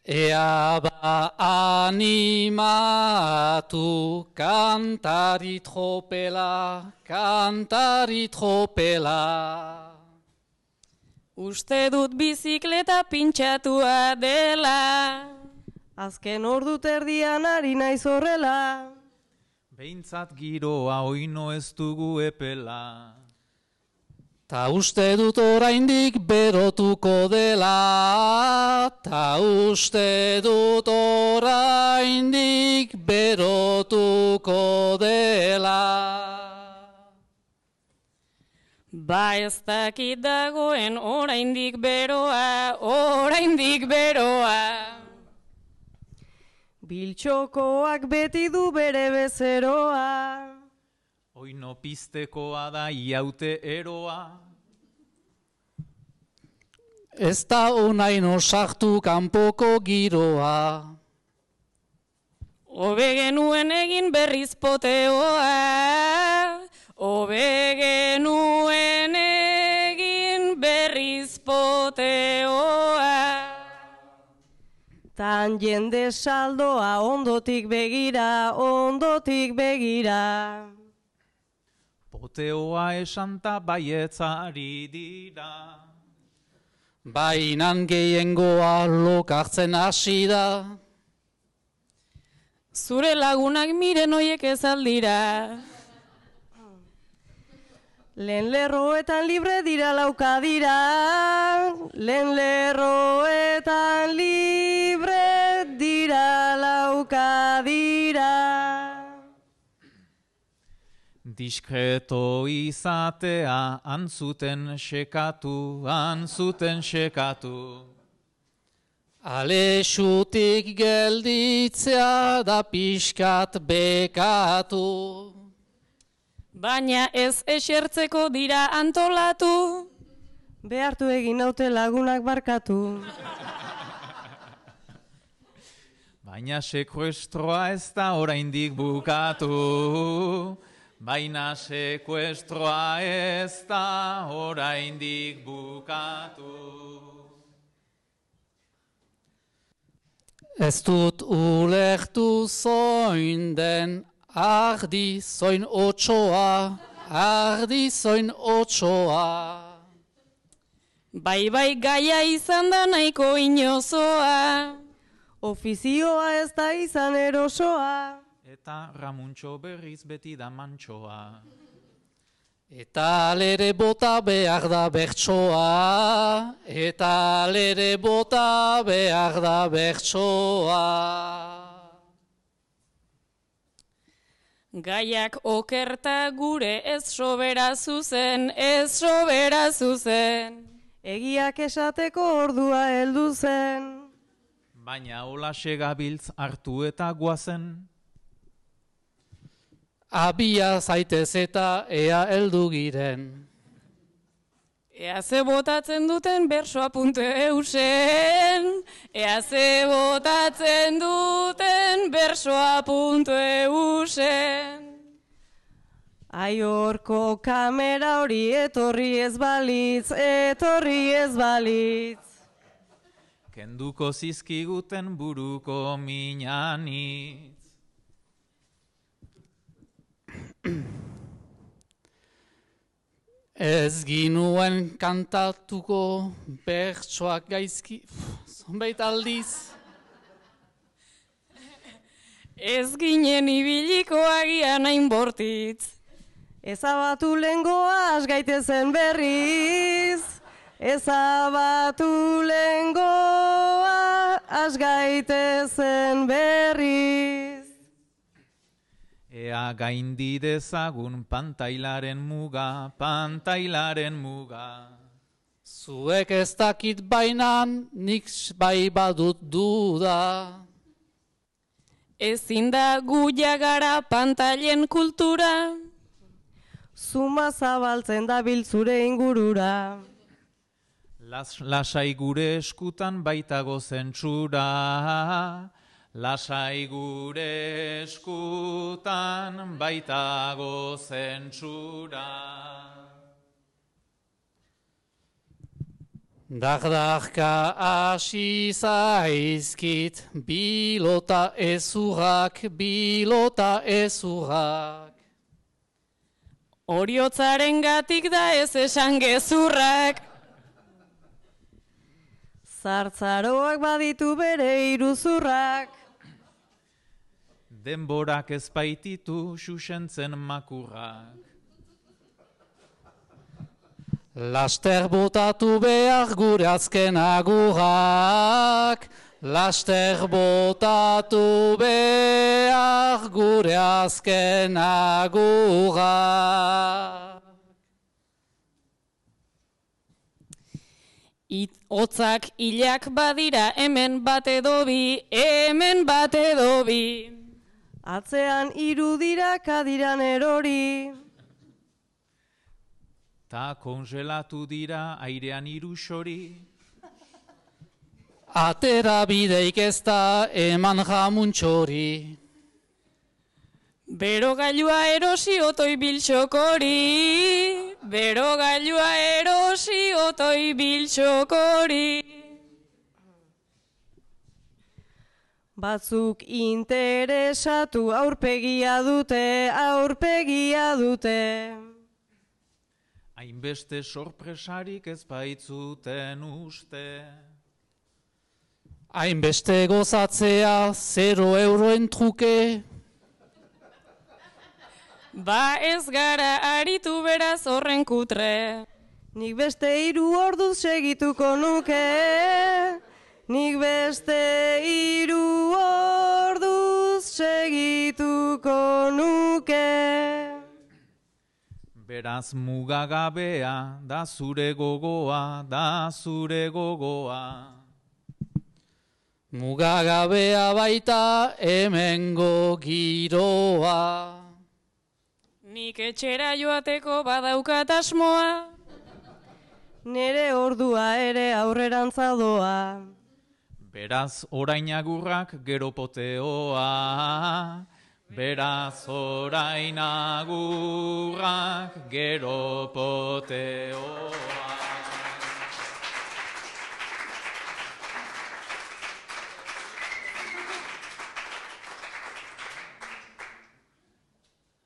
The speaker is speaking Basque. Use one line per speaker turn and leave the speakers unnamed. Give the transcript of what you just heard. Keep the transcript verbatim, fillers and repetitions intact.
Ea ba animatu kantari tropela, kantari tropela.
Uste dut bizikleta pintxatua dela.
Azken ordu terdian ari naiz horrela.
Behintzat giroa oino ez dugu epela.
Ta uste dut oraindik berotuko dela, ta uste dut oraindik berotuko dela.
Ba ez dakit dagoen oraindik beroa, oraindik beroa.
Biltxokoak beti du bere bezeroa.
Oino piztekoa da iaute eroa.
Ez da onaino sartu kanpoko giroa.
Hobe genuen egin berriz poteoa. Hobe genuen egin berriz poteoa.
Tan jende saldoa ondotik begira, ondotik begira.
Poteoa esanta baietzari dira.
Bainan gehiengoa lokartzen hasi da.
Zure lagunak miren hoiek ez aldira.
Lehen lerroetan libre dira lauka dira. Lehen lerroetan libre dira lauka dira.
Diskreto izatea antzuten sekatu, antzuten sekatu.
Alexutik gelditzea da pixkat bekatu.
Baina ez esertzeko dira antolatu.
Behartu egin naute lagunak barkatu.
Baina sekuestroa ez da oraindik bukatu. Baina sekuestroa ez da oraindik bukatu.
Ez dut ulertu zoin den ardi zoin otsoa, ardi zoin otsoa.
Bai bai gaia izan da nahiko inozoa.
Ofizioa ez da izan erosoa.
Eta Ramuntxo berriz beti da mantxoa.
Eta lere bota behar da bertsoa, eta lere bota behar da bertsoa.
Gaiak okerta gure ez sobera zuzen, ez sobera zuzen.
Egiak esateko ordua heldu zen.
Baina holaxe gabiltz hartu eta guazen.
Abia zaitez eta ea heldu giren.
Ea ze botatzen duten bersoa puntu eusen. Ea ze botatzen duten bersoa puntu eusen.
Ai horko kamera hori etorri ez balitz, etorri ez balitz.
Kenduko zizkiguten buruko minanitz.
Ez ginuen kantatuko bertsoak gaizki, zonbait aldiz.
Ez ginen ibiliko agian hain bortitz.
Ezabatu lehengoa has gaitezen berriz. Ezabatu lehengoa has gaitezen berriz.
Ea gaindi dezagun pantailaren muga, pantailaren muga.
Zuek ez dakit bainan, nik bai badut duda.
Ezin da gu jagara pantailen kultura.
Zuma zabaltzen da biltzure ingurura.
Las, lasai gure eskutan baitago zentsura. Lasai gure eskutan baitago zentsura.
Dardarka hasi zaizkit, bilota ezurrak, bilota ezurrak.
Oriotzaren gatik da ez esan gezurrak.
Zartzaroak baditu bere iruzurrak.
Denborak ez baititu xuxentzen makurrak.
Laster botatu behar gure azken agurrak, laster botatu behar gure azken agurrak.
It, otzak hilak badira hemen bat edo bi, hemen bat edo bi.
Atzean irudira kadiran erori.
Ta kongelatu dira airean irusori.
Atera bideik ez da eman jamuntxori.
Bero gailua erosi otoi biltxokori. Bero gailua erosi otoi biltxokori.
Batzuk interesatu aurpegia dute, aurpegia dute.
Hainbeste sorpresarik ez baitzuten uste.
Hainbeste gozatzea, zero euroen truke.
Ba ez gara aritu beraz horren kutre.
Nik beste hiru orduz segituko nuke. Nik beste hiru orduz segituko nuke.
Beraz mugagabea, da zure gogoa, da zure gogoa.
Mugagabea baita hemengo giroa.
Nik etxera joateko badaukat asmoa.
Nere ordua ere aurrerantza doa.
Beraz orain agurrak gero poteoa. Beraz orain agurrak gero poteoa.